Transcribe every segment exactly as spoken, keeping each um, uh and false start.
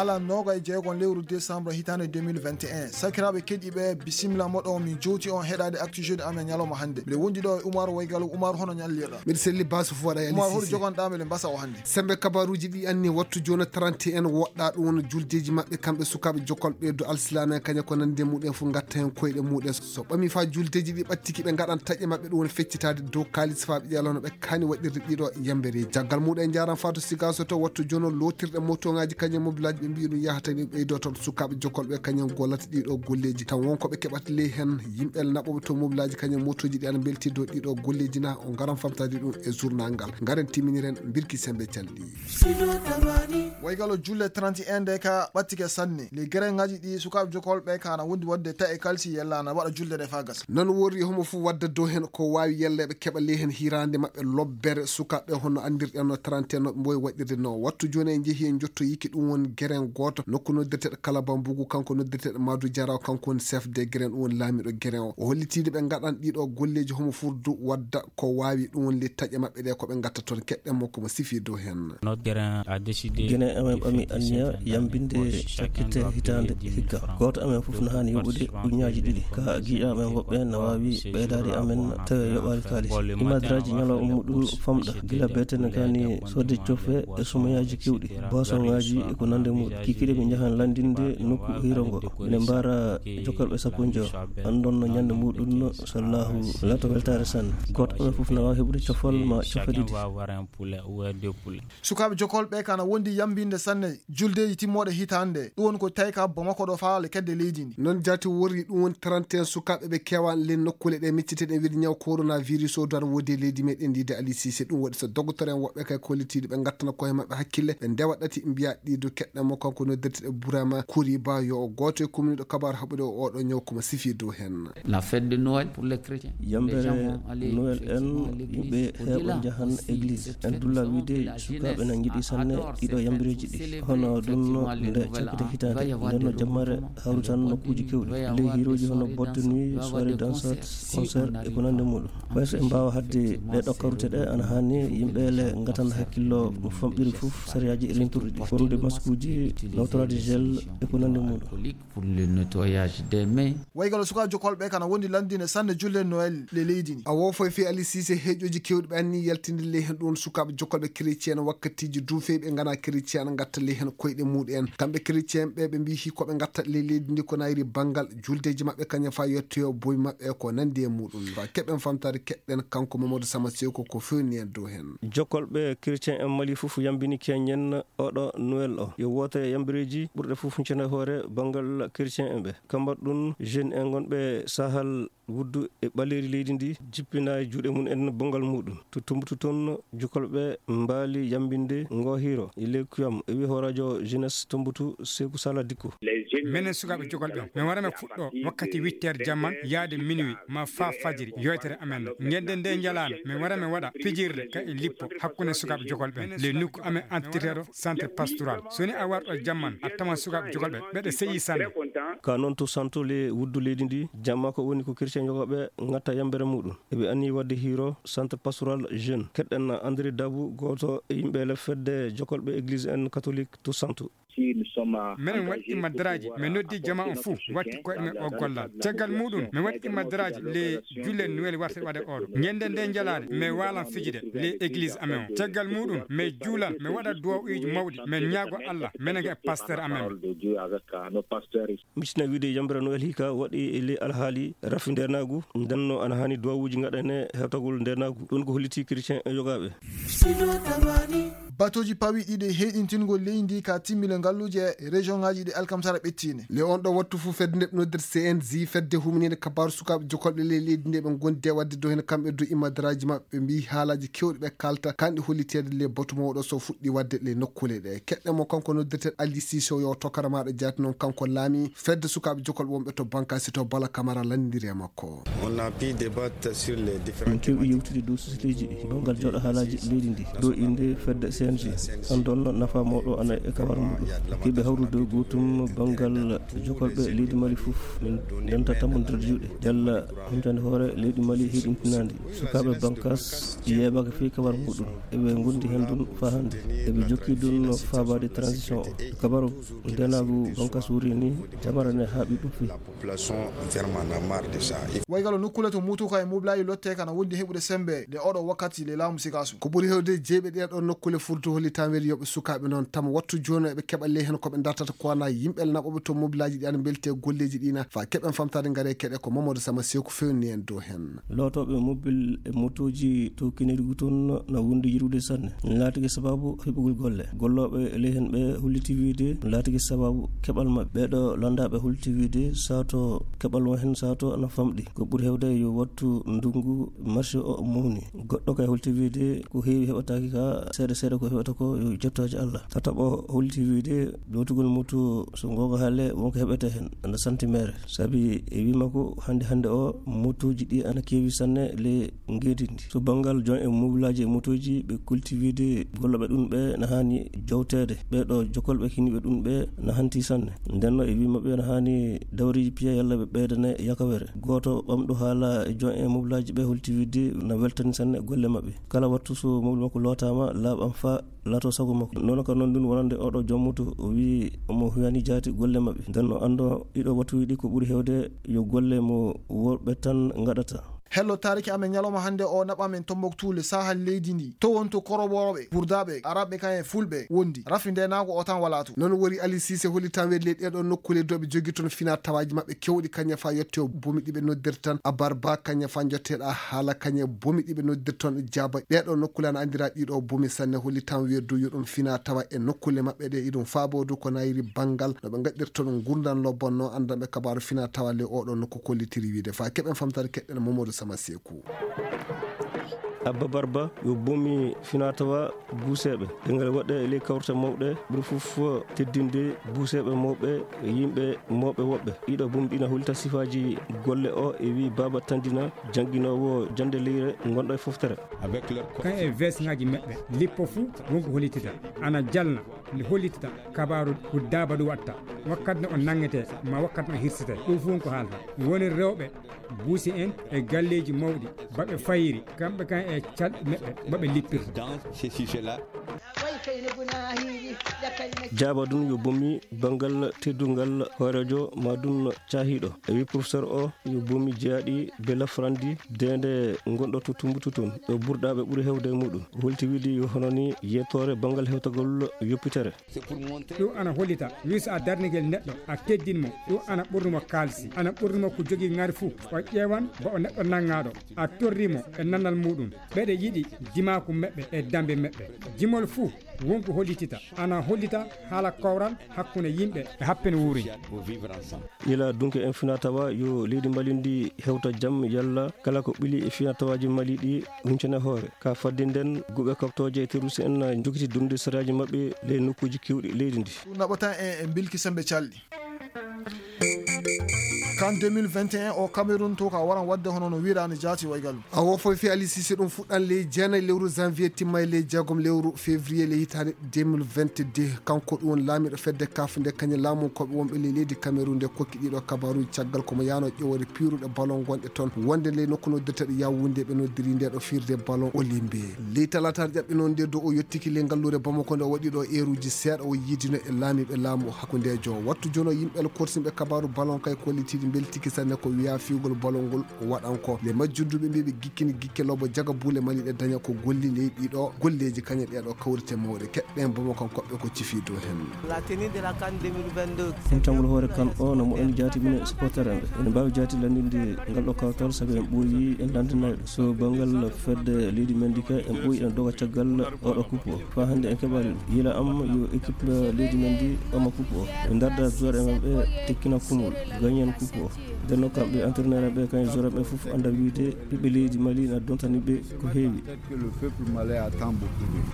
Ala noogay jeegon lewru décembre hitaande deux mille vingt et un. Sakiraaɓe keɗiiɓe, bisimila moɗon, min jowti on heɗaade Actu Jeudi amen ñalawma hannde. Miɗo wondi ɗo e Umar Waygalo. Umar, hono ñallirɗa? Miɗo selli baasu fo waɗa. Umar, holi jogonɗa meɗen mbasa o hannde. Sembe kabaruuji ɗi anni wattu jooni trente et un woɗɗa ɗum woni juldeeji maɓɓe kamɓe sukaaɓe jokolɓe do alsilaame kaña ko nande muɗen fof ngatta heen koyɗe muɗen. So ɓami fa juldeeji ɗi ɓattiki ɓe ngaɗan taƴe maɓɓe ɗum woni feccitaade dow kaalis fa ɓe ƴeewa no ɓe kaani waɗirde ɗiɗo yambere. Caggal muɗum en njaran faa to Sigaso to wattu jono lootirɗe motoŋaaji kañum e mobilaaji ɓe mbiyi ɗum yahata ni ɓeydo toon sukaaɓe jokolɓe kañum gollata ɗiɗo golleeji. Tan won ko ɓe keɓata ley heen yimɓe naɓooɓe to mobilaaji kañum motooji ɗi ana mbelti dow ɗiɗo golleeji na o ngaran famtaade ɗum e journal ngal. Ngaren timminiren mbirki sembe calɗi. Waygalo julle trente et un nde ka ɓattike sanne. Les grengaji ɗi sukaaɓe jokolɓe ka na wondi wadde ta e kalsi yella na waɗa julde nde fa gasa. Non worri homo fu wadda dow hen ko waawi yella ɓe keɓa ley hen hirande maɓɓe lobbere sukaaɓe hono andirɗen no trente et un no ɓe mboyi waɗirde no. Wattu jooni en jehi en jottoyiki ɗum won geren gooto nokku noddirteɗo Kalabambugu, kanko noddirteɗo Madu Jaraw, kanko woni chef de geren, ɗum woni laamiɗo geren o. O hollitiide ɓe ngaɗan ɗiɗo golleeji homo furdu wadda ko waawi ɗum woni le taƴe maɓɓe ɗe ko ɓe ngatta toon keɗɗen mo ko mo sifi dow hen. Gine amen ɓami anniya yambinde cakkite hitaande hikka. Gooto amen fof no haani yoɓude uññaaji ɗiɗi. Ka giiɗo amen woɓɓe no waawi ɓeydaade amen tawi yoɓaali kaalis. Imadraaji ñalawma muɗum famɗa gila beete no kaani soodde cofe e sumayaaji kewɗi, boisonŋaaji e ko nande muɗum. Kikiiɗe ɓe njahan lanndinde nokku hiiro ngo. Ene mbaara jokalɓe sappo e jowo. Anndon no ñande muɗum no so Allahu lato weltaare sanne. Gooto amen fof no waawi heɓude cofal ma cofe ɗiɗi. Sukaaɓe jokolɓe kana wondi yambinde sanne juldeeji timmooɗe hitaande. Ɗum woni ko tawi ka Bamako ɗo faale kedde leydi ndi. Non jaati worri ɗum woni trente et un sukaaɓe ɓe keewaani len nokkuule ɗe micciteɗen wiide ñaw coronavirus o dara woodi e leydi meɗen ndi de Ali Cissé. Ɗum waɗi so dogotoro en woɓɓe kay kollitiiɗo ɓe ngattana koye maɓɓe hakkille ɓe ndewa ɗati mbiya ɗiɗo keɗɗa mo kanko noddirteɗo Burama Koriba yo o gooto e commune ɗo kabaru haɓude o oɗo ñaw komo sifi dow hen. La fête de Noël pour les chrétiens. Yambere Noël en yimɓe heeɓa njahan église. En dulla wiide sukaaɓe na njiɗi sanne ɗiɗo yambireeji ɗi. Hono ɗum no nde cakkite hitaande nden no jammare hawritan nokkuuji kewɗi. Ley hiirooji hono Boîte de nuit, soirée dansante, concert e ko nande muɗum. Ɓay so en mbaawa hadde ɗe ɗo karute ɗe ana haani yimɓe le ngatan hakkillo famɗiri fof sariyaaji e renturɗi ɗi. Ɓornude maskuuji, nawtoraade gel e ko nande muɗum. Pour le nettoyage des mains. Waygalo sukaaɓe jokolɓe kana wondi landine sanne julle Noël le leydi ndi. A wofo e fii Ali Cissé heeƴooji kewɗi ɓe anni yaltinde ley hen ɗum sukaaɓe jokolɓe chrétien wakkatiiji duufeeɓe ngana chrétien ana ngatta ley hen koyɗe muɗum en. Kamɓe chrétien ɓe ɓe mbiyi hikkoɓe ngatta ley leydi ndi ko nayri banngal juldeeji maɓɓe kañum fa yettoyo boy maɓɓe ko nandi e muɗum. Fa keɓen famtaade keɗɗen kanko Mamadou Sama Seko ko fewni en dow hen. Jokolɓe chrétien en Mali fof yambini keñen oɗo Noël o. Yo wootere yambireeji ɓurɗe fof huncana hoore banngal chrétien en ɓe. Kambar ɗum jeune en gonɓe sahal wuddu e ɓaleeri leydi ndi jippina e juuɗe mum en bonngal muɗum. To Tumbutu toon jokolɓe mbaali yambinde ngo hiiro. E ley kuyam e wi hooraajo jeunesse Tumbutu Seeku Sala Dikko. Menen sukaaɓe jokolɓe, min wara min fuɗɗo wakkati huit heures jamman yaade minuit ma faa fajiri yewtere amen. Ñande nde njalaano, min wara min waɗa fijirde ka e lippo hakkunde sukaaɓe jokolɓe le nokku amen antirteɗo centre pastoral. So ni a warɗo jamman, a tawan sukaaɓe jokolɓe, ɓeɗe seyi sanne. Ka noon to santo le wuddu leydi ndi, jamma ko woni ko chrétien jokolɓe ngatta yambere muɗum. Eɓe anni wadde hiiro centre pastoral jeune. Keɗɗen André Dabou, gooto e yimɓe le fedde jokolɓe église en catholique to santo. Menen waɗi immadaraaji, min noddi jama on fuu, watti koyɗe men o gollal. Caggal muɗum, min waɗi immadaraaji le julle Noël warte waɗe oɗo. Ñande nde njalaane, min waalan fijide le église amen o. Caggal muɗum, min juulan, min waɗa duwawuuji mawɗi, min ñaago Allah, menen e pasteur amen. Miccina wiide yambere Noël hika waɗi e le alhaali rafi ndenaagu, ndenno ana haani duwawuuji ngaɗane hewtagol ndenaagu. Ɗum ko holliti chrétien e yogaaɓe. Batooji pawi ɗiɗi heyɗintingol leydi ndi ka timmile ngalluuje e région ngaji ɗi alkamsara ɓettine. Le on ɗo wattu fu fedde nde nodder C N J, fedde huminede kabaru sukaaɓe jokolɓe ley leydi nde ɓe gondi e wadde dow hen kamɓe dow immadaraaji maɓɓe ɓe mbiyi haalaaji kewɗi ɓe kalta kanɗi holliteede le batu mawɗo so fuɗɗi wadde le nokkuule ɗe. Keɗɗen mo kanko noddirteɗo Ali Cissé yo tokara maɗo jaati noon kanko laami fedde sukaaɓe jokolɓe wonɓe to Bankasi to Bala Kamara landiri e makko. On a pu débattre sur les différents. Min kewi yewtude dow sociétéji ɗi banngal jooɗo haalaaji leydi ndi. Ɗo inde fedde N G, anndon nafa mawɗo ana e kawar muɗum. Kiɓe hawrude gootum banngal jokolɓe leydi Mali fof, min ndenta tammondirde juuɗe. Yalla humpitande hoore leydi Mali hiɗintinaandi. Sukaaɓe bankas yeeɓaaka fii kawar muɗum. Eɓe ngondi heen ɗum faa hannde. Eɓe jokki ɗum faabaade transition o. Kabaru ndenaagu bankas wuuri ni, jamara ne haaɓi ɗum fii. Population vraiment na marre de ça. Waygalo nokkule to mutuka e mobilaaji lotte kana wondi heɓude sembe nde oɗo wakkati le laamu Sikaso. Ko ɓuri hewde jeyɓe ɗee ɗoo nokkule furto holli tan weli yoɓe sukaaɓe noon tama wattu jooni eɓe keɓa ley heen ko ɓe dartata ko wana yimɓe naɓoɓe to mobilaaji ɗi ana mbelti e golleeji ɗi na fa keɓen famtaade ngare keɗe ko Mamadou Sama Seeku fewni en dow heen. Lootooɓe mobil e motooji to Kinirgu toon na wondi yirude sanne. Laatike sababu heɓugol golle. Gollooɓe ley heen ɓe holliti wiide laatike sababu keɓal maɓɓe. Ɓee ɗoo lanndaaɓe holliti wiide sato keɓal won heen sato ana famɗi. Ko ɓuri hewde yo wattu ndungu marché o mawni. Goɗɗo kay holliti wiide ko heewi heɓataake ka seeɗa seeɗa ko heɓata ko yo jettooje Allah. Tataɓo holliti wiide lootugol moto so goonga haale wonko heɓete heen ana santi meere. Sabi e wii makko hannde hannde o motooji ɗi ana keewi sanne le ngeedi ndi. So banngal jon e mobilaaji e motooji ɓe kulti wiide gollooɓe ɗum ɓe na haani jowteede. Ɓee ɗoo jokolɓe kiniiɓe ɗum ɓe na hanti sanne. Nden no e wii maɓɓe na haani dawriiji piya yalla ɓe ɓeydane yakawere. Gooto ɓamɗo haala e jon e mobilaaji ɓe holti wiide na weltani sanne golle maɓɓe. Kala wattu so mobil makko lootaama laaɓam faa laato sago makko. Noon ka noon ɗum wonande oɗo jom moto o wii omo huyani jaati golle maɓɓe. Nden no anndo ɗiɗo wattuuji ɗi ko ɓuri hewde yo golle mo worɓe tan ngaɗata. Hello, taariki amen ñalawma hannde o naɓa men Tombouctou le saaha leydi ndi. To wonto koroɓooɓe, burdaaɓe, araaɓe kan e fulɓe wondi. Rafi ndeenaagu o tan walaa to. Noon wori Ali Cissé holli tan weli ɗee ɗoo nokkule dow ɓe jogi toon fina tawaaji maɓɓe kewɗi kañe fa yotte o bomi ɗi ɓe noddirta tan abarba kañe fa jotteeɗa haala kañe bomi ɗi ɓe noddirta toon jaaba. Ɗee ɗoo nokkule ana anndiraa ɗii ɗoo bomi sanne holli tan weli dow yo ɗum fina tawa e nokkule maɓɓe ɗe iɗum faaboo dow ko nayiri banngal no ɓe ngaɗirta toon ngurndan lobbon no anndanɓe kabaaru fina tawa le oo ɗoo nokku kollitiri wiide fa keɓen famtaade keɗɗen Mamadou Sama Seeku. Abba Barba yo bomi finatawa buuseeɓe. Ɗengal waɗɗe e ley kawrte mawɗe ɓuri fof teddinde buuseeɓe mawɓe yimɓe mawɓe woɓɓe. Ɗiɗo bomi ɗina hollita sifaaji golle o e wi Baaba Tandina jannginoowo jannde leyre ngonɗo e foftere. Kan e vesŋaaji maɓɓe lippo fuu wonko hollitita ana jalna nde hollitita kabaaru ko daaba ɗum watta wakkati no o nanngetee ma wakkati no o hirsetee ɗum fuu wonko haalta woni rewɓe buusi en e galleeji mawɗi baɓe fayiri kamɓe kan e calɗi maɓɓe maɓe lippirta. Jaaba ɗum yo bomi banngal teddungal hooreejo ma ɗum caahiiɗo e wi professeur o yo bomi jeyaaɗi be lafrandi deende ngonɗo to tumbutu toon ɗo burɗaaɓe ɓuri hewde e muɗum holti wiide yo hono ni yettoore banngal hewtagol yoppitere. Ɗum ana hollita wi so a darnike neɗɗo a teddin mo ɗum ana ɓurni mo kaalisi ana ɓurni mo ko jogii ŋari fuu o ƴeewan ba o neɗɗo nanngaɗo a torri mo e nannal muɗum ɓeɗe yiɗi jimaaku meɓɓe e dambe meɓɓe jimol fuu wonko hollitita ana hollita haala kowral hakkunde yimɓe e happen wuuri. Ila dunke en fina tawa yo leydi mali ndi hewta jam yalla kala ko ɓili e fina tawaji mali ɗi huncane hoore ka fadde nden guɓe koktooje e terroriste en jokiti durude saraaji maɓɓe ley nokkuji kewɗi leydi ndi. Ɗum naɓata en e bilki sembe calɗi. Kan deux mille vingt et un o Cameroun to ka waran wadde hono no wiiraani jaati waygal. Awo foy fi Ali Cissé ɗum fuɗɗan ley jeenay lewru janvier timma e ley jeegom lewru février ley hitaande deux mille vingt-deux kanko ɗum woni laamiiɗo fedde kaf nde kañe laamu koɓe wonɓe ley leydi Cameroun nde kokki ɗiɗo kabaruji caggal komo yaano ƴewoore piiruɗe ballon gonɗe toon wonde ley nokku noddirteɗo Yaoundé ɓe noddiri nde ɗo firde ballon Olimbe ley talataare ƴaɓɓe noon nde dow o yettiki ley ngalluure Bamako nde o waɗi ɗo eeruji seeɗa o yiidino e laamiiɓe laamu hakkundeejo wattu jono yimɓe alkorsinɓe kabaru ballon kay kollitiiɗi mbeltiki sanne ko wiya fiigol ballon ngol ko waɗan ko nde majjunduɓe mbiɓe gikkini gikke lobo jaga buule mali ɗe daña ko golli ley ɗiɗo golleeji kañe ɗeɗo kawrite mawɗe keɗɗen Bamako koɓɓe ko cifi dow heen. Humtangol hoore kan o no moɗon jaati mine supporter en ɓe ene mbaawi jaati lanndinde ngal ɗo kawtal sabi en ɓooyi en lanndinayɗo so banngal fedde leydi men ndi ka en ɓooyi en doga caggal oɗo coupe o faa hannde en keɓaani ɗum yila am yo équipe leydi men ndi ɓama coupe o ɓe ndarda joueur en ɓe tekkina kumol gañen coupe Nden noon kamɓe entraîneur ɓe kañum joueur ɓe fof annda wiide ɓiɓɓe leydi Mali na dontani ɓe ko heewi.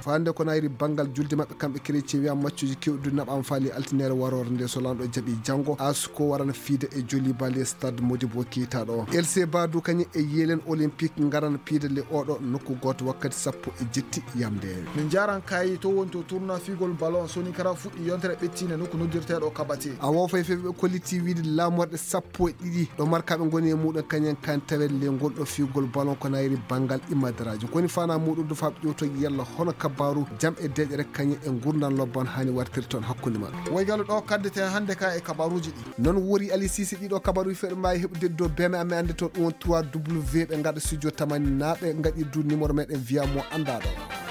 Fande ko nayri banngal julde maɓɓe kamɓe chrétien wiya maccuji kewɗi naɓama faali altinere warore nde so lanɗo jaɓi janngo asko warana fiida e joli bali stade Modibo Keita ɗo. L C Badou kañum e Yelen Olympique ngarana piida le oɗo nokku goto wakkati sappo e jetti yamde. Min jaran kayi to woni to tournoi figol ballon soni kara fuɗɗi yontere ɓettine nokku noddirteɗo kabate. Awo fay fay ɓe kolliti wiide lamorɗe sappo e ɗiɗi ɗo markaɓe ngoni e muɗum kañen kan tawet le ngol ɗo figol ballon ko nayri banngal imadaraji koni fana muɗum do faɓe ƴewtoji yalla hono kabaru jam e deƴere kañen e gurdan lobban hani wartir toon hakkunde maɓɓe. Woygalo ɗo kaddete hannde ka e kabaruji ɗi. Noon wori Ali Sisi ɗiɗo kabaruji feɗo mbawi heɓude do beme amen annde to ɗum won trois W ɓe ngaɗa studio tamani naɓe ngaɗi du numéro meɗen wiya mo anndaɗo.